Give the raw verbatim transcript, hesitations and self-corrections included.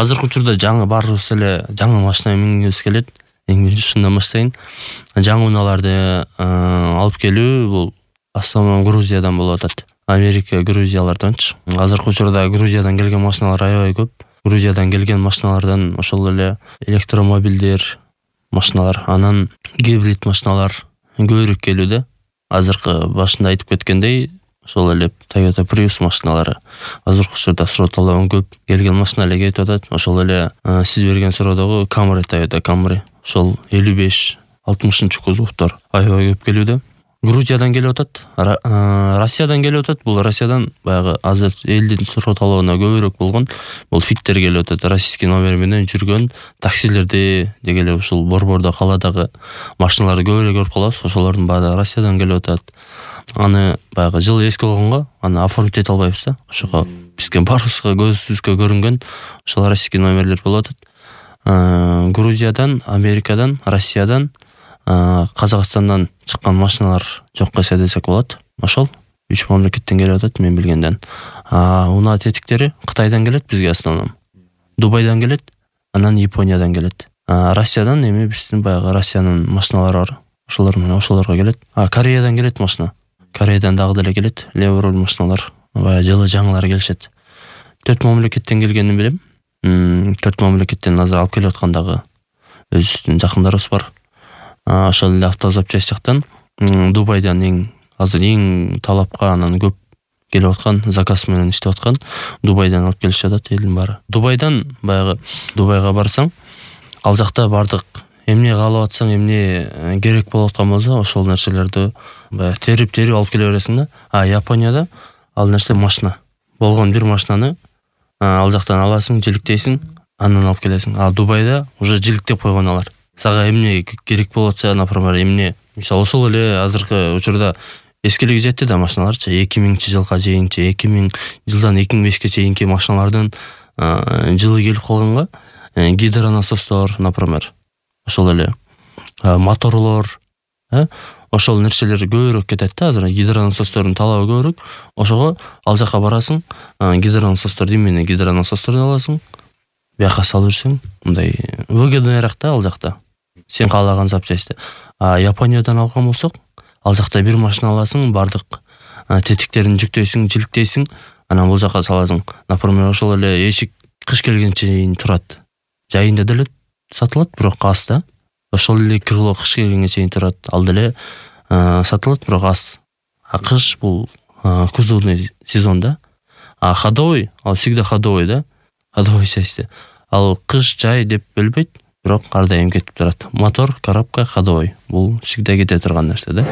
азыркы учурда жаңы баарыбыз эле жаңы машина мингибиз келет. Эң биринчи ушундан баштайын. Жаңы унааларды алып келүү бул основном Грузиядан болуп атат. Америка, Грузияларданчы. Азыркы учурда Грузиядан келген машиналар аябай көп. Грузиядан келген машиналардан ошол эле электромобилдер, машиналар, анан гибрид машиналар көбүрөөк келүүдө. Азыркы башында айтып кеткендей, ошол эле Toyota Prius машиналары азыркы учурда суроо талабы көп. Келген машина эле кетип атат. Ошол эле сиз берген суроодогу Camry, Toyota Camry, ошол элүү беш алтымышынчы кузовдор аябай көп келүүдө. Грузиядан келип атат, Россиядан келип атат. Бул Россиядан баягы азыр элдин суроо талабына көбүрөөк болгон. Бул фиктер келип атат. Российский номер менен жүргөн таксилерди деги эле ушул борбордо каладагы машиналарды көбүрөөк көрүп калабыз. Ошолордун баары Россиядан келип атат. Аны баягы жылы эски болгонго аны оформить эте албайбыз да. Ошого бизге баарыбызга көзүбүзгө көрүнгөн ошол российский номерлер болуп атат. Грузиядан, Америкадан, Россиядан, Казакстандан чыккан машиналар жокко эсе десек болот. Ошол үч мамлекеттен келип атат мен билгенден. Унаа тетиктери Кытайдан келет бизге основном. Дубайдан келет, анан Япониядан келет. Россиядан эми биздин баягы Россиянын машиналары бар. Ошолор менен ошолорго келет. Кореядан келет машина. Кореядан дагы деле келет. Левый руль машиналар. Баягы жылы жаңылар келишет. Төрт мамлекеттен келгенин билем. Төрт мамлекеттен азыр алып келип аткандагы өзүбүздүн жакындарыбыз бар. Ошол эле автозапчасть жактан Дубайдан эң азыр эң талапка анан көп келип аткан, заказ менен иштеп аткан Дубайдан алып келишип атат элдин баары. Дубайдан баягы Дубайга барсаң, ал жакта бардык эмне каалап атсаң, эмне керек болуп аткан болсо, ошол нерселерди баягы терип-терип алып келе бересиң да. А Японияда ал нерсе машина. Болгон бир машинаны ал жактан аласың, жиликтейсиң, андан алып келесиң. А Дубайда уже жиликтеп койгон алар. Сага эмне керек болуп атса, например, эмне, мисалы ошол эле азыркы учурда эскилиги жетти да машиналарчы, эки миңинчи жылга чейинчи, эки миң жылдан эки миң бешке чейинки машиналардын жылы келип калганга гидронасостор, например, ошол эле моторлор, ошол нерселер көбүрөөк кетет да. Азыр гидронасостордун талабы көбүрөөк. Ошого ал жака барасың, гидронасосторду эмне гидронасосторду аласың, бияка салып жүрсөң, мындай выгодныйраак да ал жакта. Сен каалаган запчасти. А Япониядан алган болсок, ал жакта бир машина аласың, бардык тетиктерин жүктөйсүң, жиликтейсиң, анан бул жака саласың. Например, ошол эле эшик кыш келгенче чейин турат. Жайында деле сатылат, бирок аз да. Ошол эле крыло кыш келгенге чейин турат. Ал деле сатылат, бирок аз. А кыш бул кузовный сезон да. А ходовой, ал всегда ходовой да. Ходовой части. Ал кыш, жай деп бөлбөйт, бирок ар дайым кетип турат. Мотор, коробка, ходовой. Бул всегда кете турган нерсе да.